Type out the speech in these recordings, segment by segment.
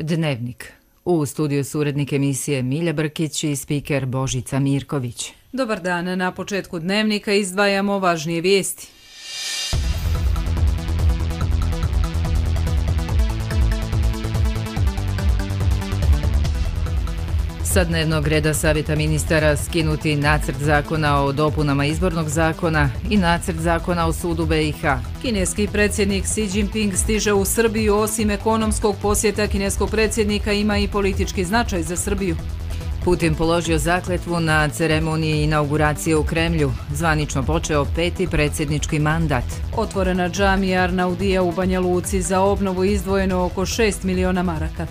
Dnevnik. U studiju su urednik emisije Milja Brkić i spiker Božica Mirković. Dobar dan, na početku Dnevnika izdvajamo važnije vijesti. Sa dnevnog reda Savjeta ministara skinuti nacrt zakona o dopunama izbornog zakona i nacrt zakona o sudu BiH. Kineski predsjednik Xi Jinping stiže u Srbiju. Osim ekonomskog posjeta kineskog predsjednika ima i politički značaj za Srbiju. Putin položio zakletvu na ceremoniji inauguracije u Kremlju. Zvanično počeo 5. predsjednički mandat. Otvorena džamija Arnaudija u Banja Luci, za obnovu izdvojeno oko 6 miliona maraka.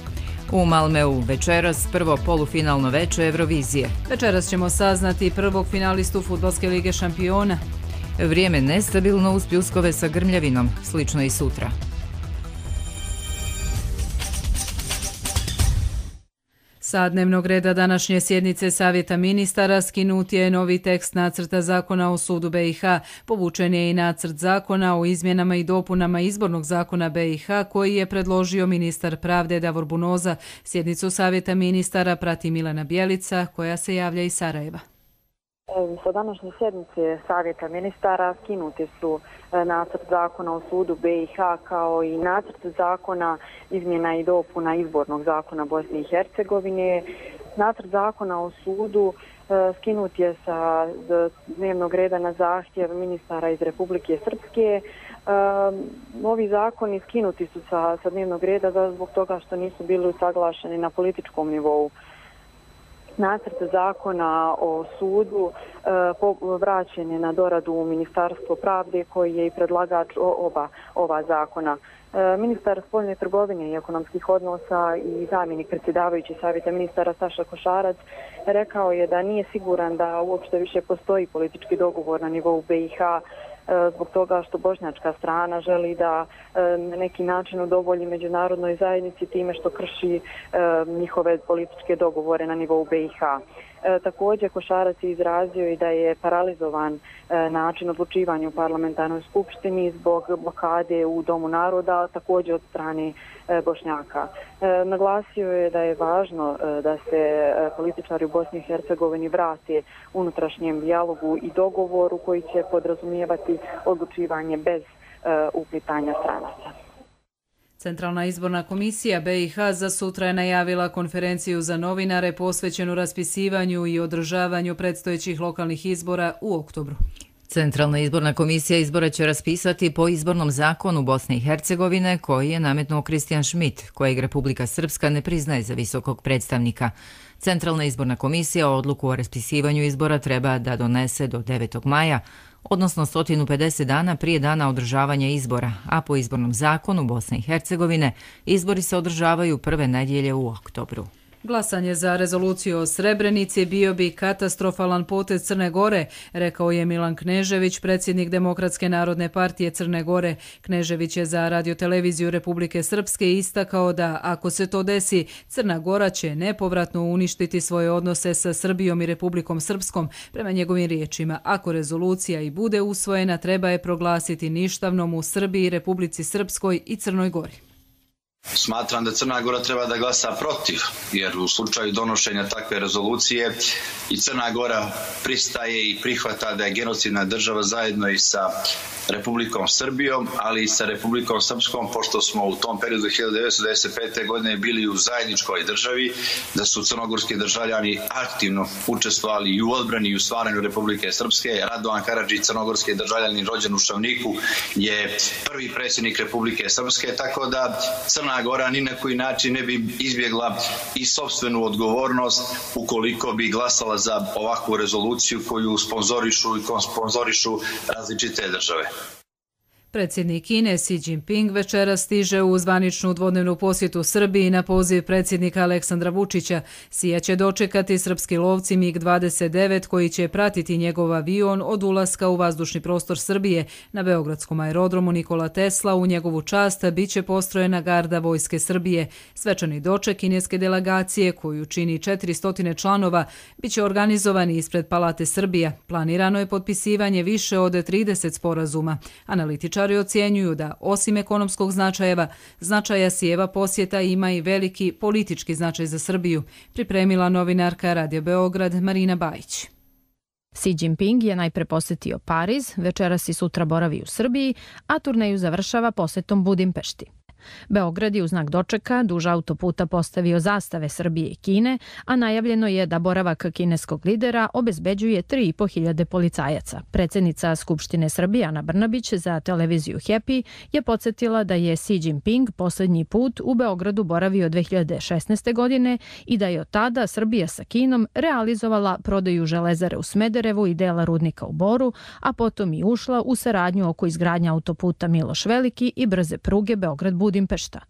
U Malmeu večeras prvo polufinalno veče Eurovizije. Večeras ćemo saznati prvog finalistu Fudbalske lige šampiona. Vrijeme nestabilno uz pljuskove sa grmljavinom, slično i sutra. Sa dnevnog reda današnje sjednice Savjeta ministara skinut je novi tekst nacrta zakona o sudu BiH. Povučen je i nacrt zakona o izmjenama i dopunama izbornog zakona BiH koji je predložio ministar pravde Davor Bunoza. Sjednicu Savjeta ministara prati Milena Bjelica koja se javlja iz Sarajeva. Sa današnje sjednice Savjeta ministara skinuti su nacrt zakona o sudu BiH kao i nacrt zakona izmjena i dopuna izbornog zakona Bosne i Hercegovine. Nacrt zakona o sudu skinut je sa dnevnog reda na zahtjev ministara iz Republike Srpske. Ovi zakoni skinuti su sa dnevnog reda zbog toga što nisu bili usaglašeni na političkom nivou. Nacrt zakona o sudu vraćen je na doradu u Ministarstvo pravde koji je i predlagač ova zakona. Ministar spoljne trgovine i ekonomskih odnosa i zamjenik predsjedavajući Savjeta ministara Saša Košarac rekao je da nije siguran da uopšte više postoji politički dogovor na nivou BiH zbog toga što bošnjačka strana želi da na neki način udovolji međunarodnoj zajednici time što krši njihove političke dogovore na nivou BiH. Također Košarac je izrazio i da je paralizovan način odlučivanja u parlamentarnoj skupštini zbog blokade u Domu naroda, također od strane Bošnjaka. Naglasio je da je važno da se političari u Bosni i Hercegovini vrate unutrašnjem dijalogu i dogovoru koji će podrazumijevati odlučivanje bez uplitanja stranaca. Centralna izborna komisija BiH za sutra je najavila konferenciju za novinare posvećenu raspisivanju i održavanju predstojećih lokalnih izbora u oktobru. Centralna izborna komisija izbora će raspisati po izbornom zakonu Bosne i Hercegovine koji je nametnuo Kristijan Schmidt, kojeg Republika Srpska ne priznaje za visokog predstavnika. Centralna izborna komisija odluku o raspisivanju izbora treba da donese do 9. maja, odnosno 150 dana prije dana održavanja izbora, a po izbornom zakonu Bosne i Hercegovine izbori se održavaju prve nedjelje u oktobru. Glasanje za rezoluciju o Srebrenici bio bi katastrofalan potez Crne Gore, rekao je Milan Knežević, predsjednik Demokratske narodne partije Crne Gore. Knežević je za radioteleviziju Republike Srpske istakao da ako se to desi, Crna Gora će nepovratno uništiti svoje odnose sa Srbijom i Republikom Srpskom. Prema njegovim riječima, ako rezolucija i bude usvojena, treba je proglasiti ništavnom u Srbiji, Republici Srpskoj i Crnoj Gori. Smatram da Crna Gora treba da glasa protiv, jer u slučaju donošenja takve rezolucije i Crna Gora pristaje i prihvata da je genocidna država zajedno i sa Republikom Srbijom, ali i sa Republikom Srpskom, pošto smo u tom periodu 1995. godine bili u zajedničkoj državi, da su crnogorski državljani aktivno učestvovali i u odbrani i u stvaranju Republike Srpske. Radovan Karadžić, crnogorski državljanin rođen u Šavniku, je prvi predsjednik Republike Srpske, tako da Crna Gora ni na koji način ne bi izbjegla i sopstvenu odgovornost ukoliko bi glasala za ovakvu rezoluciju koju sponzorišu različite države. Predsjednik Kine Xi Jinping večera stiže u zvaničnu dvodnevnu posjetu Srbiji na poziv predsjednika Aleksandra Vučića. Xija će dočekati srpski lovci MiG-29 koji će pratiti njegov avion od ulaska u vazdušni prostor Srbije. Na beogradskom aerodromu Nikola Tesla u njegovu čast biće postrojena garda Vojske Srbije. Svečani doček kineske delegacije, koju čini 400 članova, biće organizovani ispred Palate Srbija. Planirano je potpisivanje više od 30 sporazuma. Analitičari analitičari ocjenjuju da osim ekonomskog značaja sjeva posjeta ima i veliki politički značaj za Srbiju, pripremila novinarka Radio Beograd Marina Bajić. Xi Jinping je najpre posjetio Pariz, večeras i sutra boravi u Srbiji, a turneju završava posjetom Budimpešti. Beograd je u znak dočeka duž autoputa postavio zastave Srbije i Kine, a najavljeno je da boravak kineskog lidera obezbeđuje 3.500 policajaca. Predsjednica Skupštine Srbije Ana Brnabić za televiziju Happy je podsjetila da je Xi Jinping posljednji put u Beogradu boravio 2016. godine i da je od tada Srbija sa Kinom realizovala prodaju železare u Smederevu i dela rudnika u Boru, a potom i ušla u saradnju oko izgradnja autoputa Miloš Veliki i brze pruge Beograd-Budimpešta.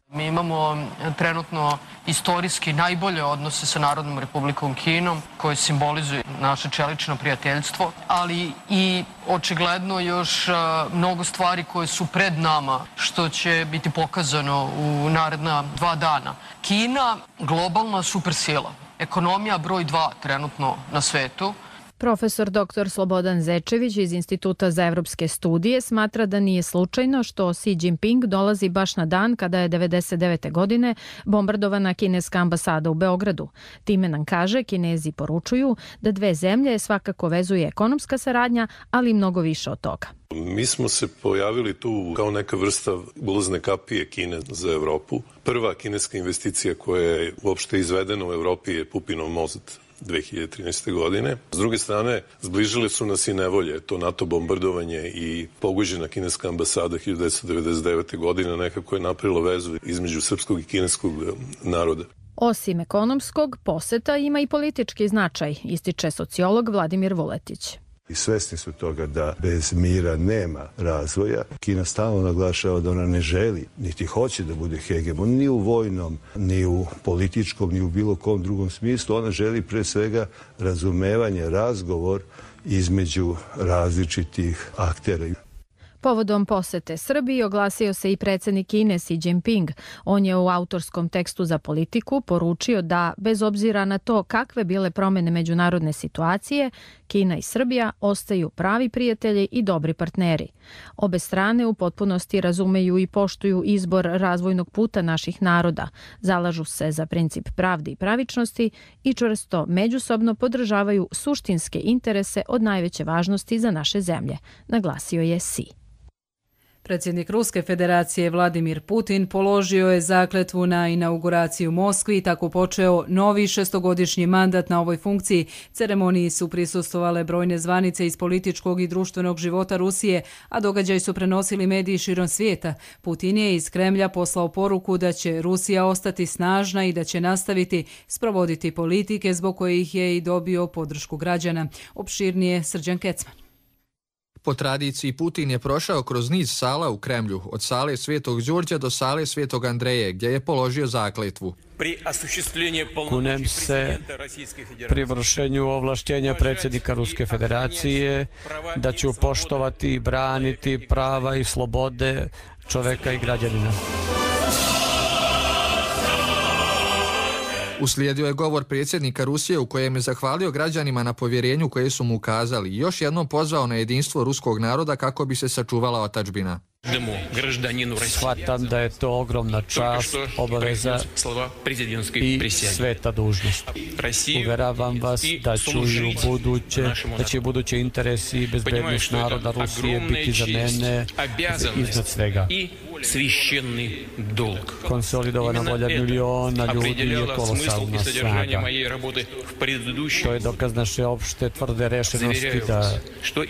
Mi imamo trenutno istorijski najbolje odnose sa Narodnom Republikom Kinom koje simbolizuju naše čelično prijateljstvo, ali i očigledno još mnogo stvari koje su pred nama što će biti pokazano u naredna 2 dana. Kina, globalna supersila, ekonomija broj 2 trenutno na svetu. Profesor dr. Slobodan Zečević iz Instituta za evropske studije smatra da nije slučajno što Xi Jinping dolazi baš na dan kada je 1999. godine bombardovana kineska ambasada u Beogradu. Time nam kaže, Kinezi poručuju da dve zemlje svakako vezuje ekonomska saradnja, ali i mnogo više od toga. Mi smo se pojavili tu kao neka vrsta ulazne kapije Kine za Evropu. Prva kineska investicija koja je uopšte izvedena u Evropi je Pupinov most 2013. godine. S druge strane, zbližile su nas i nevolje. To NATO bombardovanje i pogođena kineska ambasada 1999. godine nekako je napravilo vezu između srpskog i kineskog naroda. Osim ekonomskog, poseta ima i politički značaj, ističe sociolog Vladimir Vuletić. I svesni su toga da bez mira nema razvoja. Kina stalno naglašava da ona ne želi, niti hoće da bude hegemon, ni u vojnom, ni u političkom, ni u bilo kom drugom smislu. Ona želi pre svega razumevanje, razgovor između različitih aktera. Povodom posete Srbiji oglasio se i predsjednik Kine Xi Jinping. On je u autorskom tekstu za Politiku poručio da, bez obzira na to kakve bile promjene međunarodne situacije, Kina i Srbija ostaju pravi prijatelji i dobri partneri. Obe strane u potpunosti razumeju i poštuju izbor razvojnog puta naših naroda, zalažu se za princip pravde i pravičnosti i čvrsto međusobno podržavaju suštinske interese od najveće važnosti za naše zemlje, naglasio je Xi. Predsjednik Ruske federacije Vladimir Putin položio je zakletvu na inauguraciju u Moskvi i tako počeo novi 6-godišnji mandat na ovoj funkciji. Ceremoniji su prisustvovale brojne zvanice iz političkog i društvenog života Rusije, a događaj su prenosili mediji širom svijeta. Putin je iz Kremlja poslao poruku da će Rusija ostati snažna i da će nastaviti sprovoditi politike zbog kojih je i dobio podršku građana. Opširnije Srđan Kecman. Po tradiciji Putin je prošao kroz niz sala u Kremlju, od sale Svetog Đurđa do sale Svetog Andreje, gdje je položio zakletvu. Kunem se pri vršenju ovlaštenja predsjednika Ruske federacije da ću poštovati i braniti prava i slobode čoveka i građanina. Uslijedio je govor predsjednika Rusije u kojem je zahvalio građanima na povjerenju koje su mu ukazali i još jednom pozvao na jedinstvo ruskog naroda kako bi se sačuvala otadžbina. Shvatam da je to ogromna čast, obaveza i sveta dužnost. Uveravam vas da će buduće interesi i bezbednost naroda Rusije biti za mene iznad svega. Konsolidovana volja miliona ljudi je kolosalna snaga. To je dokaz naše opšte tvrde rešenosti da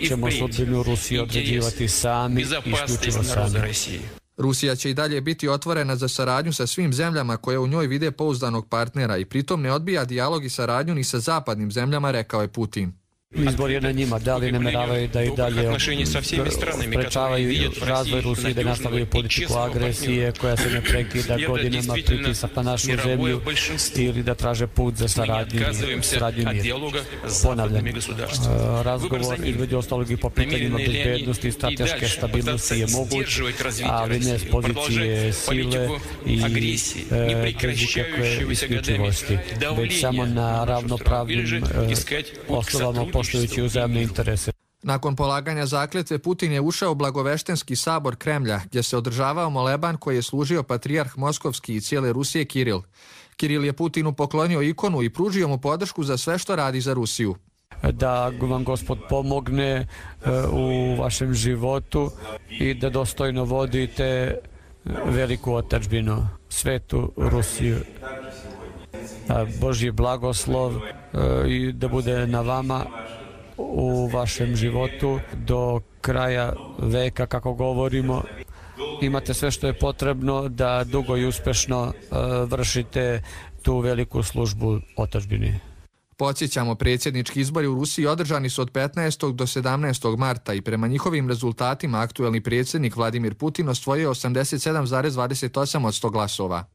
ćemo sudbinu Rusije određivati sami, isključivo sami. Rusija će i dalje biti otvorena za saradnju sa svim zemljama koje u njoj vide pouzdanog partnera i pritom ne odbija dijalog i saradnju ni sa zapadnim zemljama, rekao je Putin. Izbor je na njima, da li nameravaju da i dalje sprečavaju razvoj Rusije, da nastavljaju politiku agresije koja se ne prekida godinama, pritisak na našu zemlju ili da traže put za saradnju i mir. Ponavljam, razgovor između ostalog i po pitanjima bezbednosti i strateške stabilnosti je moguć, ali ne s pozicije sile i bez ikakve isključivosti, već samo na ravnopravnim osnovama poštujući uzajamne interese. Nakon polaganja zakletve Putin je ušao u Blagoveštenski sabor Kremlja, gdje se održavao moleban koji je služio patrijarh Moskovski i cijele Rusije Kiril. Kiril je Putinu poklonio ikonu i pružio mu podršku za sve što radi za Rusiju. Da vam Gospod pomogne u vašem životu i da dostojno vodite veliku otadžbinu, svetu Rusiju. Božji blagoslov i da bude na vama u vašem životu do kraja veka, kako govorimo. Imate sve što je potrebno da dugo i uspešno vršite tu veliku službu otadžbini. Podsjećamo, predsjednički izbori u Rusiji održani su od 15. do 17. marta i prema njihovim rezultatima aktuelni predsjednik Vladimir Putin osvojio 87,28 od 100 glasova.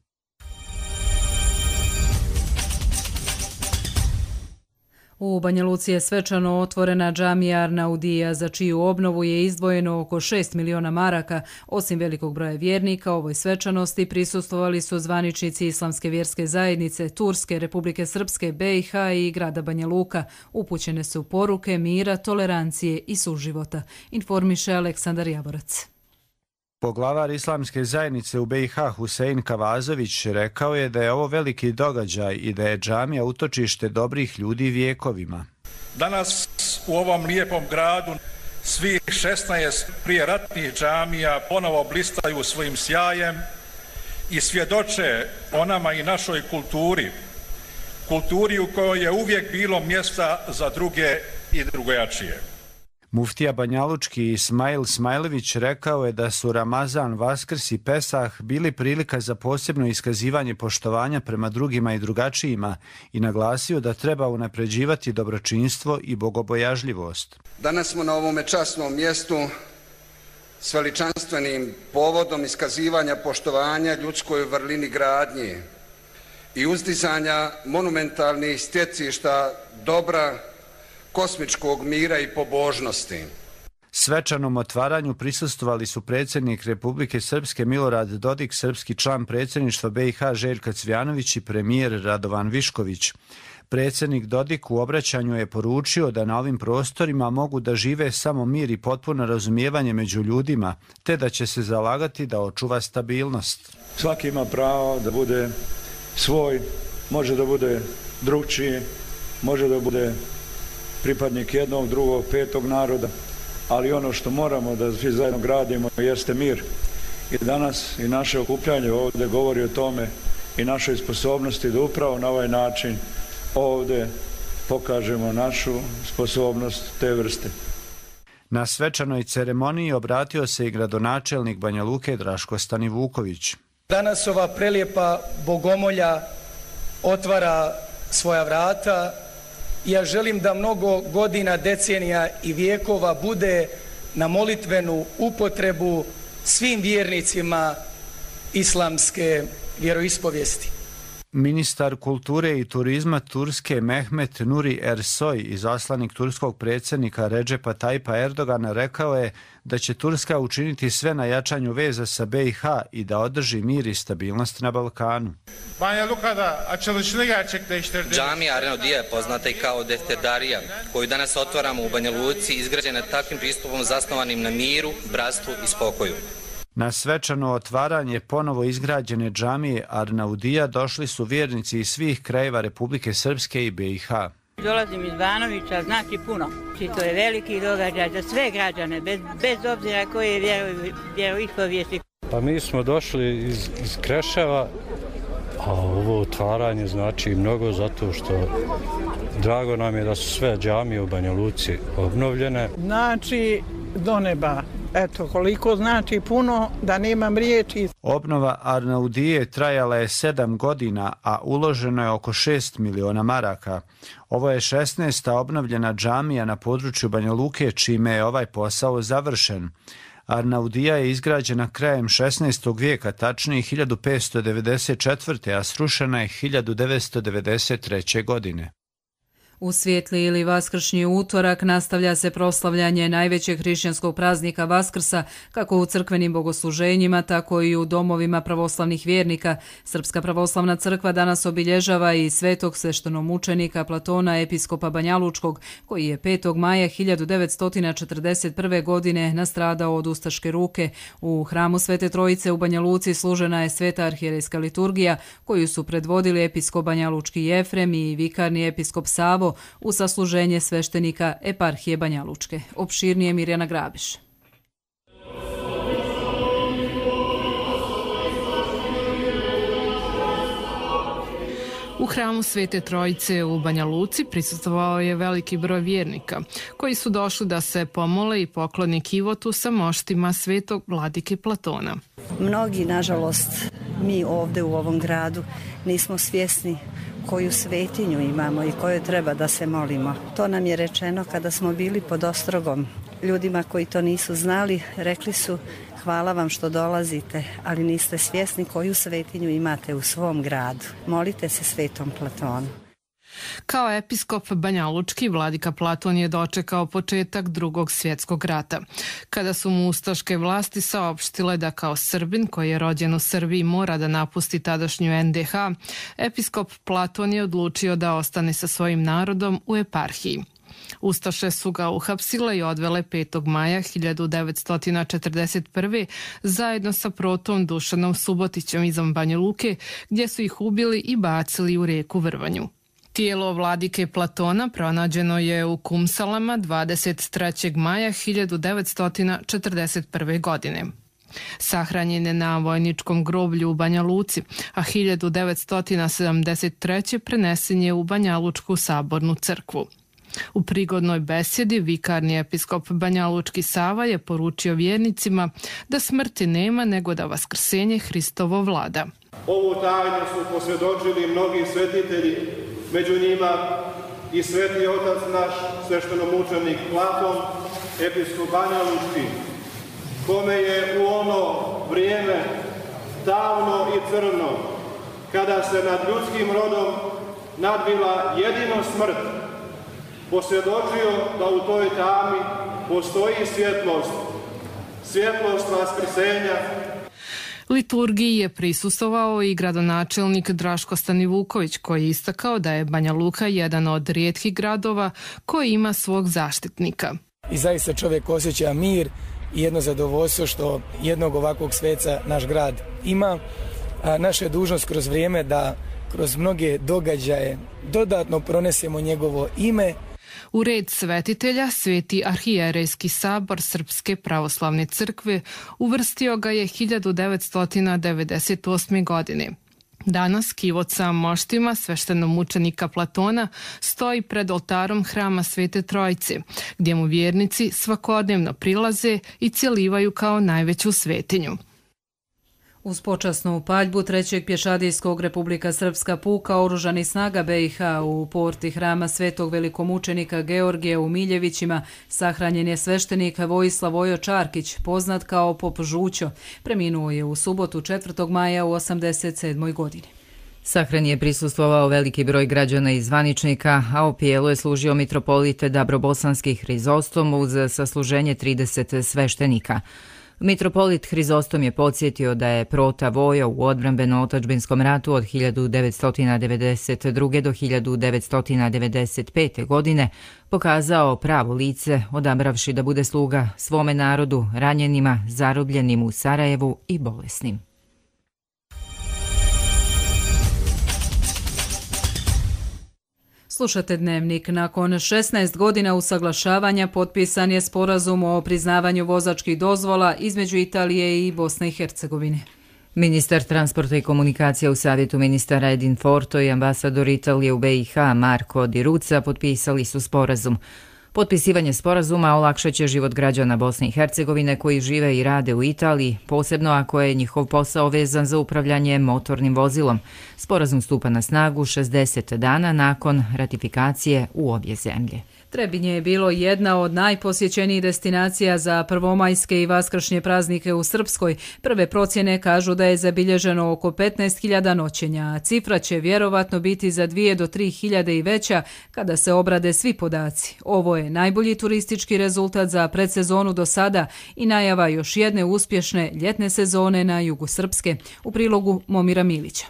U Banja Luci je svečano otvorena džamija Arnaudija, za čiju obnovu je izdvojeno oko 6 miliona maraka. Osim velikog broja vjernika, ovoj svečanosti prisustvovali su zvaničnici Islamske vjerske zajednice, Turske, Republike Srpske, BiH i grada Banja Luka. Upućene su poruke mira, tolerancije i suživota, informiše Aleksandar Javorac. Poglavar Islamske zajednice u BiH Husein Kavazović rekao je da je ovo veliki događaj i da je džamija utočište dobrih ljudi vjekovima. Danas u ovom lijepom gradu svih 16 prijeratnih džamija ponovo blistaju svojim sjajem i svjedoče o nama i našoj kulturi u kojoj je uvijek bilo mjesta za druge i drugojačije. Muftija banjalučki Ismail Smajlević rekao je da su Ramazan, Vaskrs i Pesah bili prilika za posebno iskazivanje poštovanja prema drugima i drugačijima i naglasio da treba unapređivati dobročinstvo i bogobojažljivost. Danas smo na ovome časnom mjestu s veličanstvenim povodom iskazivanja poštovanja ljudskoj vrlini gradnje i uzdizanja monumentalnih stjecišta dobra, kosmičkog mira i pobožnosti. Svečanom otvaranju prisustvovali su predsjednik Republike Srpske Milorad Dodik, srpski član predsjedništva BiH Željko Cvjanović i premijer Radovan Višković. Predsjednik Dodik u obraćanju je poručio da na ovim prostorima mogu da žive samo mir i potpuno razumijevanje među ljudima, te da će se zalagati da očuva stabilnost. Svaki ima pravo da bude svoj, može da bude drugčiji, može da bude pripadnik jednog, drugog, petog naroda, ali ono što moramo da svi zajedno gradimo jeste mir. I danas i naše okupljanje ovdje govori o tome i našoj sposobnosti da upravo na ovaj način ovdje pokažemo našu sposobnost te vrste. Na svečanoj ceremoniji obratio se i gradonačelnik Banja Luke Draško Stanivuković. Danas ova prelijepa bogomolja otvara svoja vrata. Ja želim da mnogo godina, decenija i vijekova bude na molitvenu upotrebu svim vjernicima islamske vjeroispovijesti. Ministar kulture i turizma Turske Mehmet Nuri Ersoy, izaslanik turskog predsjednika Redžepa Tajpa Erdogana, rekao je da će Turska učiniti sve na jačanju veza sa BiH i da održi mir i stabilnost na Balkanu. Džamija Arnaudija je poznata i kao defterdarija, koju danas otvaramo u Banja Luci, izgrađena takvim pristupom zasnovanim na miru, bratstvu i spokoju. Na svečano otvaranje ponovo izgrađene džamije Arnaudija došli su vjernici iz svih krajeva Republike Srpske i BiH. Dolazim iz Banovića, znači puno. To je veliki događaj za sve građane, bez obzira koje vjeroispovijesti. Pa mi smo došli iz Kreševa, a ovo otvaranje znači mnogo zato što drago nam je da su sve džamije u Banja Luci obnovljene. Znači do neba. Eto, koliko znači puno da nemam riječi. Obnova Arnaudije trajala je 7 godina, a uloženo je oko 6 miliona maraka. Ovo je 16. obnovljena džamija na području Banja Luke, čime je ovaj posao završen. Arnaudija je izgrađena krajem 16. vijeka, tačnije 1594. a srušena je 1993. godine. U svijetli ili vaskršnji utorak nastavlja se proslavljanje najvećeg hrišćanskog praznika Vaskrsa, kako u crkvenim bogosluženjima, tako i u domovima pravoslavnih vjernika. Srpska pravoslavna crkva danas obilježava i svetog sveštenomučenika Platona, episkopa Banjalučkog, koji je 5. maja 1941. godine nastradao od ustaške ruke. U hramu Svete Trojice u Banja Luci služena je sveta arhijerejska liturgija, koju su predvodili episkop Banjalučki Jefrem i vikarni episkop Savo, u sasluženje sveštenika eparhije Banja Lučke. Opširnije Mirjana Grabiš. U hramu Svete Trojice u Banja Luci prisustvovao je veliki broj vjernika, koji su došli da se pomole i poklone kivotu sa moštima svetog vladike Platona. Mnogi, nažalost, mi ovdje u ovom gradu nismo svjesni koju svetinju imamo i kojoj treba da se molimo. To nam je rečeno kada smo bili pod ostrogom. Ljudima koji to nisu znali, rekli su: hvala vam što dolazite, ali niste svjesni koju svetinju imate u svom gradu. Molite se svetom Platonu. Kao episkop Banjalučki, vladika Platon je dočekao početak Drugog svjetskog rata, kada su mu ustaške vlasti saopštile da kao Srbin koji je rođen u Srbiji mora da napusti tadašnju NDH, episkop Platon je odlučio da ostane sa svojim narodom u eparhiji. Ustaše su ga uhapsile i odvele 5. maja 1941. zajedno sa protom Dušanom Subotićem izvan Banja Luke, gdje su ih ubili i bacili u rijeku Vrvanju. Tijelo vladike Platona pronađeno je u Kumsalama 23. maja 1941. godine. Sahranjen je na vojničkom groblju u Banja Luci, a 1973. prenesen je u Banjalučku sabornu crkvu. U prigodnoj besjedi vikarni episkop Banjalučki Sava je poručio vjernicima da smrti nema, nego da vaskrsenje Hristovo vlada. Ovu tajnu su posvjedočili mnogi svetitelji, među njima i sveti otac naš, sveštenomučenik Platon, episkop Banjalučki, kome je u ono vrijeme davno i crno, kada se nad ljudskim rodom nadvila jedino smrt, posvjedočio da u toj tami postoji svjetlost, svjetlost vaskrsenja. Liturgiji je prisustvovao i gradonačelnik Draško Stanivuković, koji je istakao da je Banja Luka jedan od rijetkih gradova koji ima svog zaštitnika. I zaista čovjek osjeća mir i jedno zadovoljstvo što jednog ovakvog sveca naš grad ima. A naša je dužnost kroz vrijeme da kroz mnoge događaje dodatno pronesemo njegovo ime. U red svetitelja Sveti arhijerejski sabor Srpske pravoslavne crkve uvrstio ga je 1998. godine. Danas kivot sa moštima sveštenomučenika Platona stoji pred oltarom hrama Svete Trojice, gdje mu vjernici svakodnevno prilaze i cjelivaju kao najveću svetinju. Uz počasnu paljbu 3. pješadijskog Republika Srpska puka oružanih snaga BiH u porti hrama Svetog velikomučenika Georgija u Miljevićima sahranjen je sveštenik Vojislav Vojo Čarkić, poznat kao Pop Žućo. Preminuo je u subotu 4. maja u 87. godini. Sahrani je prisustvovao veliki broj građana i zvaničnika, a opijelu je služio mitropolit Dabrobosanski Hrizostom uz sasluženje 30 sveštenika. Mitropolit Hrizostom je podsjetio da je prota Vojo u odbrambeno-otadžbinskom ratu od 1992. do 1995. godine pokazao pravo lice, odabravši da bude sluga svome narodu, ranjenima, zarobljenim u Sarajevu i bolesnim. Slušate Dnevnik. Nakon 16 godina usaglašavanja potpisan je sporazum o priznavanju vozačkih dozvola između Italije i Bosne i Hercegovine. Ministar transporta i komunikacija u Savjetu ministara Edin Forto i ambasador Italije u BiH Marko Di Ruca potpisali su sporazum. Potpisivanje sporazuma olakšaće život građana Bosne i Hercegovine koji žive i rade u Italiji, posebno ako je njihov posao vezan za upravljanje motornim vozilom. Sporazum stupa na snagu 60 dana nakon ratifikacije u obje zemlje. Trebinje je bilo jedna od najposjećenijih destinacija za prvomajske i vaskršnje praznike u Srpskoj. Prve procjene kažu da je zabilježeno oko 15.000 noćenja, a cifra će vjerovatno biti za 2 do 3.000 i veća kada se obrade svi podaci. Ovo je najbolji turistički rezultat za predsezonu do sada i najava još jedne uspješne ljetne sezone na jugu Srpske. U prilogu Momira Milića.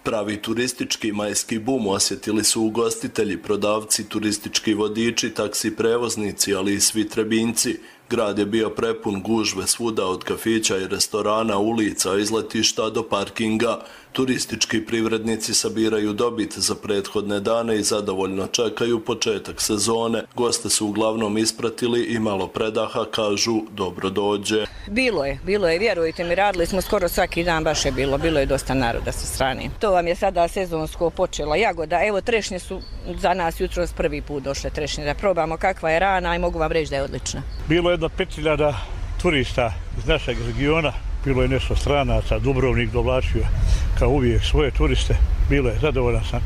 Pravi turistički majski bum osjetili su ugostitelji, prodavci, turistički vodiči, taksi prevoznici, ali i svi Trebinjci. Grad je bio prepun, gužve svuda od kafića i restorana, ulica, izletišta do parkinga. Turistički privrednici sabiraju dobit za prethodne dane i zadovoljno čekaju početak sezone. Goste su uglavnom ispratili i malo predaha, kažu dobro dođe. Bilo je, vjerujte mi, radili smo skoro svaki dan, baš je bilo je dosta naroda sa strane. To vam je sada sezonsko počelo. Jagoda, evo trešnje su za nas jutros prvi put došle trešnje, da probamo kakva je rana i mogu vam reći da je odlična. Bilo je jedno 5.000 turista iz našeg regiona, bilo je nešto stranaca, Dubrovnik dovlačio kao uvijek svoje turiste, bilo je zadovoljan sam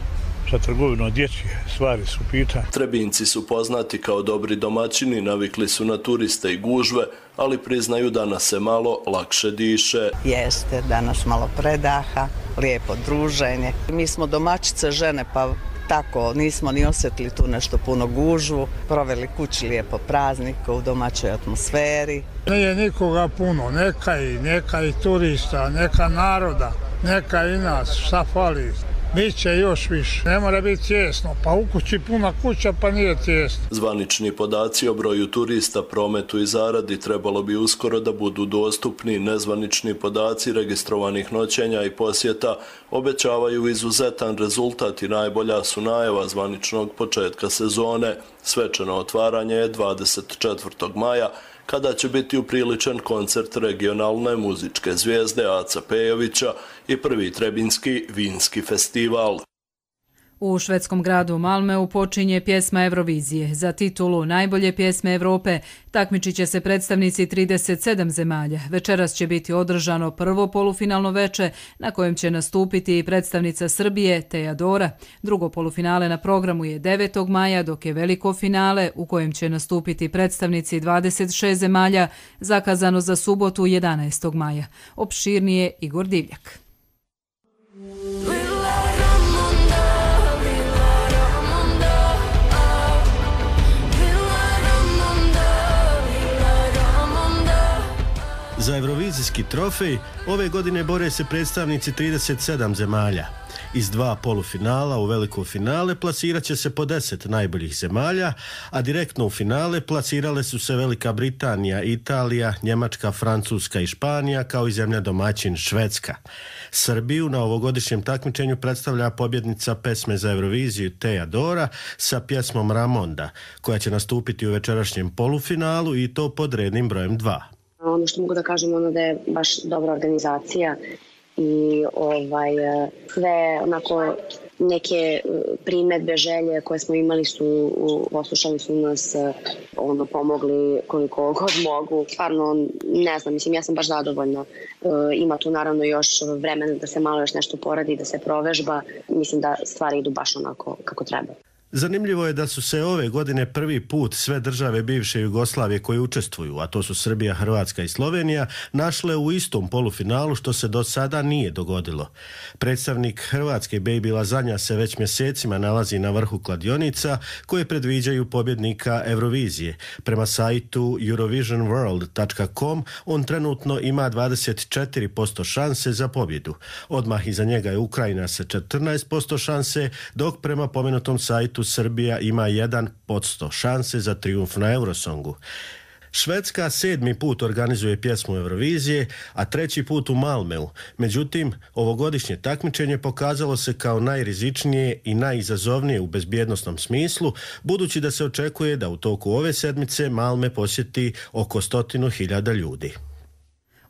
sa trgovinom, dječje stvari su pitanje. Trebinjci su poznati kao dobri domaćini, navikli su na turiste i gužve, ali priznaju da nas se malo lakše diše. Jeste, danas malo predaha, lijepo druženje. Mi smo domaćice žene, pa tako nismo ni osjetili tu nešto puno gužvu, proveli kući lijepo praznika u domaćoj atmosferi. Nije nikoga puno, neka i turista, neka naroda, neka i nas, šta fali. Biće još više, ne mora biti tijesno, pa u kući puna kuća pa nije tijesno. Zvanični podaci o broju turista, prometu i zaradi trebalo bi uskoro da budu dostupni. Nezvanični podaci registrovanih noćenja i posjeta obećavaju izuzetan rezultat i najbolja su najava zvaničnog početka sezone. Svečano otvaranje je 24. maja, kada će biti upriličen koncert regionalne muzičke zvijezde Aca Pejovića i prvi Trebinjski vinski festival. U švedskom gradu Malmeu počinje pjesma Eurovizije. Za titulu najbolje pjesme Europe takmičit će se predstavnici 37 zemalja. Večeras će biti održano prvo polufinalno veče na kojem će nastupiti i predstavnica Srbije Teja Dora. Drugo polufinale na programu je 9. maja, dok je veliko finale u kojem će nastupiti predstavnici 26 zemalja zakazano za subotu 11. maja. Opširnije Igor Divljak. Za Eurovizijski trofej ove godine bore se predstavnici 37 zemalja. Iz 2 polufinala u veliko finale plasirat će se po 10 najboljih zemalja, a direktno u finale plasirale su se Velika Britanija, Italija, Njemačka, Francuska i Španija, kao i zemlja domaćin Švedska. Srbiju na ovogodišnjem takmičenju predstavlja pobjednica pesme za Euroviziju Teja Dora sa pjesmom Ramonda, koja će nastupiti u večerašnjem polufinalu i to pod rednim brojem 2. Ono što mogu da kažem da je baš dobra organizacija i sve onako neke primjedbe, želje koje smo imali su, poslušali su nas, pomogli koliko god mogu. Stvarno, ne znam, ja sam baš zadovoljna. Ima tu naravno još vremena da se malo još nešto poradi, da se provežba. Mislim da stvari idu baš onako kako treba. Zanimljivo je da su se ove godine prvi put sve države bivše Jugoslavije koje učestvuju, a to su Srbija, Hrvatska i Slovenija, našle u istom polufinalu, što se do sada nije dogodilo. Predstavnik Hrvatske Baby Lazanja se već mjesecima nalazi na vrhu kladionica koje predviđaju pobjednika Eurovizije. Prema sajtu eurovisionworld.com on trenutno ima 24% šanse za pobjedu. Odmah iza njega je Ukrajina sa 14% šanse, dok prema pomenutom sajtu Srbija ima 1% šanse za trijumf na Eurosongu. Švedska 7. put organizuje pjesmu Eurovizije, a 3. put u Malmeu. Međutim, ovogodišnje takmičenje pokazalo se kao najrizičnije i najizazovnije u bezbjednosnom smislu, budući da se očekuje da u toku ove sedmice Malme posjeti oko 100.000 ljudi.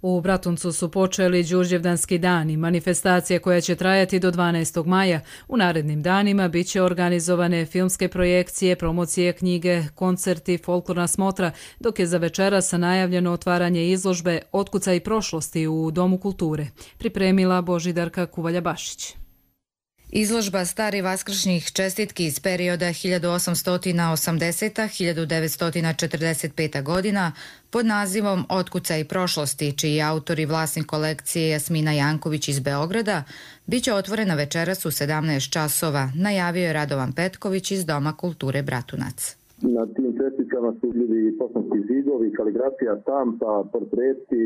U Bratuncu su počeli Đurđevdanski dani, manifestacija koja će trajati do 12. maja. U narednim danima bit će organizovane filmske projekcije, promocije knjige, koncerti, folklorna smotra, dok je za večeras najavljeno otvaranje izložbe Otkucaj prošlosti u Domu kulture. Pripremila Božidarka Kuvalja-Bašić. Izložba stari vaskršnjih čestitki iz perioda 1880-1945 godina pod nazivom Otkucaj prošlosti, čiji je autor i vlasnik kolekcije Jasmina Janković iz Beograda, bit će otvorena večeras u 17 časova, najavio je Radovan Petković iz Doma kulture Bratunac. Na tim čestitkama su vidljivi poštanski zidovi, kaligrafija, štampa, portreti,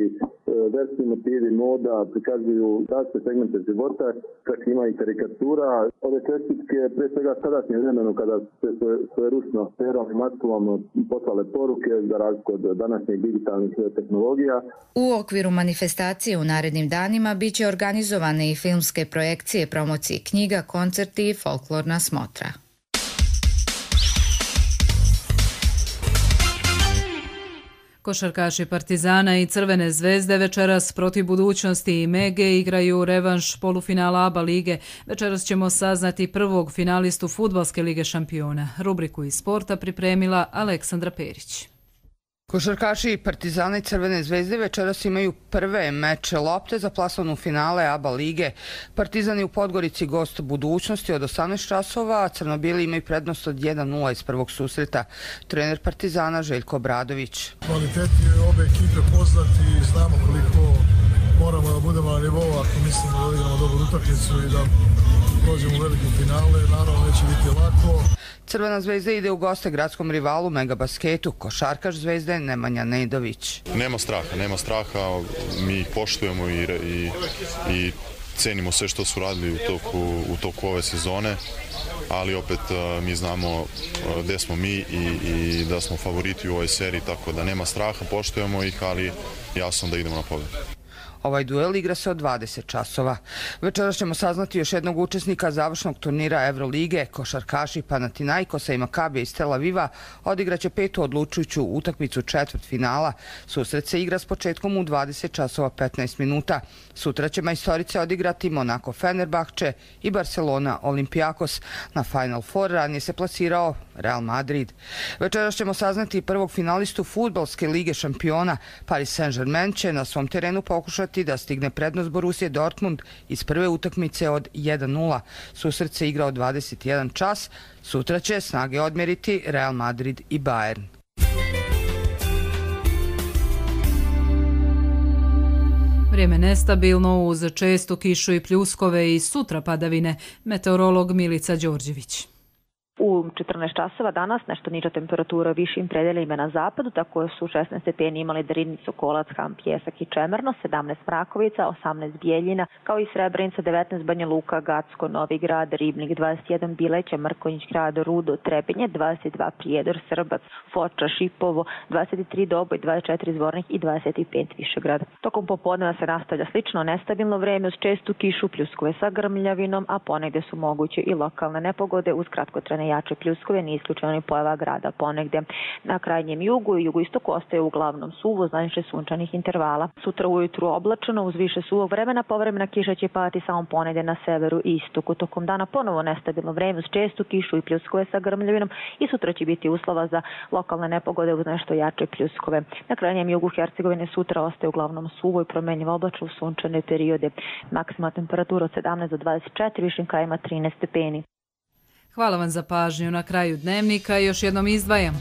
verski motivi, moda, prikazuju različite segmente života, čak ima i karikatura. Ove čestitke, pre svega sadašnje vremenu, kada se svojeručno perom i maskulom poslale poruke za razliku od današnjih digitalnih tehnologija. U okviru manifestacije u narednim danima bit će organizovane i filmske projekcije, promocije knjiga, koncerti i folklorna smotra. Košarkaši Partizana i Crvene zvezde večeras protiv Budućnosti i Mege igraju revanš polufinala ABA lige. Večeras ćemo saznati prvog finalistu Fudbalske lige šampiona. Rubriku iz sporta pripremila Aleksandra Perić. Košarkaši Partizana i Crvene zvezde večeras imaju prve meče lopte za plasman finale ABA lige. Partizan je u Podgorici gost Budućnosti od 18 časova, a crnobili imaju prednost od 1-0 iz prvog susreta. Trener Partizana Željko Obradović. Kvaliteti obe ekipe poznati, znamo koliko moramo da budemo na nivou ako mislimo da igramo dobru utakmicu i da dođemo u veliku finale. Naravno neće biti lako. Crvena zvezda ide u goste gradskom rivalu Megabasketu, košarkaš Zvezde Nemanja Nedović. Nema straha, mi ih poštujemo i cenimo sve što su radili u toku ove sezone, ali opet mi znamo gde smo mi i da smo favoriti u ovoj seriji, tako da nema straha, poštujemo ih, ali jasno da idemo na pobedu. Ovaj duel igra se od 20 časova. Večeras ćemo saznati još jednog učesnika završnog turnira Evrolige. Košarkaši Panathinaikosa i Makabija iz Tel Aviva odigraće petu odlučujuću utakmicu četvrtfinala. Susret se igra s početkom u 20 časova 15 minuta. Sutra će majstorice odigrati Monaco Fenerbahče i Barcelona Olympiakos. Na Final Four ranije se plasirao Real Madrid. Večeras ćemo saznati prvog finalistu Fudbalske lige šampiona. Paris Saint-Germain će na svom terenu pokušati da stigne prednost Borussia Dortmund iz prve utakmice od 1-0. Susret se igra od 21 čas. Sutra će snage odmeriti Real Madrid i Bayern. Vrijeme nestabilno uz čestu kišu i pljuskove i sutra padavine. Meteorolog Milica Đorđević. U 14 časova danas nešto niža temperatura u višim predelima na zapadu, tako su 16 stepeni imali Drinicu, Kolac, Ham, Pjesak i Čemerno, 17 Mrakovica, 18 Bijeljina, kao i Srebrenica, 19 Banja Luka, Gacko, Novi Grad, Ribnik, 21 Bileća, Mrkonjić, Grad, Rudo, Trebinje, 22 Prijedor, Srbac, Foča, Šipovo, 23 Doboj, 24 Zvornik i 25 Višegrad. Tokom popodneva se nastavlja slično nestabilno vreme uz čestu kišu, pljuskove sa grmljavinom, a ponegde su moguće i lokalne nepogode uz kratkotrajne jače pljuskove, nije isključeno ni pojava grada ponegde. Na krajnjem jugu i jugoistoku ostaje uglavnom suvo, najviše sunčanih intervala. Sutra ujutru oblačeno uz više suvog vremena, povremena kiša će padati samo ponegde na severu i istoku. Tokom dana ponovo nestabilno vreme uz čestu kišu i pljuskove sa grmljavinom i sutra će biti uslova za lokalne nepogode uz nešto jače pljuskove. Na krajnjem jugu Hercegovine sutra ostaje uglavnom suvo i promenljivo oblačno u sunčane periode. Maksimalna temperatura od 17 do 24, višim krajima 13 stepeni. Hvala vam za pažnju. Na kraju dnevnika još jednom izdvajam.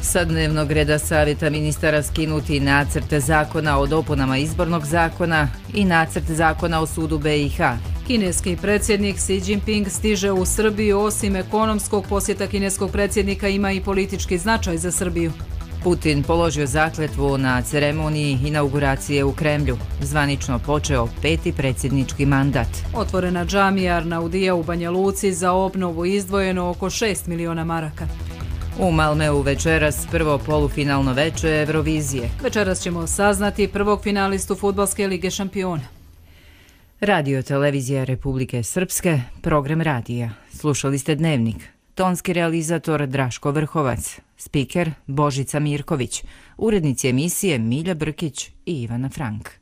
Sa dnevnog reda savjeta ministara skinuti nacrt zakona o dopunama izbornog zakona i nacrt zakona o sudu BiH. Kineski predsjednik Xi Jinping stiže u Srbiju. Osim ekonomskog posjeta kineskog predsjednika ima i politički značaj za Srbiju. Putin položio zakletvu na ceremoniji inauguracije u Kremlju. Zvanično počeo 5. predsjednički mandat. Otvorena džamija Arnaudija u Banja Luci, za obnovu izdvojeno oko 6 miliona maraka. U Malmeu večeras prvo polufinalno veče Eurovizije. Večeras ćemo saznati prvog finalistu Fudbalske lige šampiona. Radio televizija Republike Srpske, program radija. Slušali ste Dnevnik. tonski realizator Draško Vrhovac, spiker Božica Mirković, urednici emisije Milja Brkić i Ivana Frank.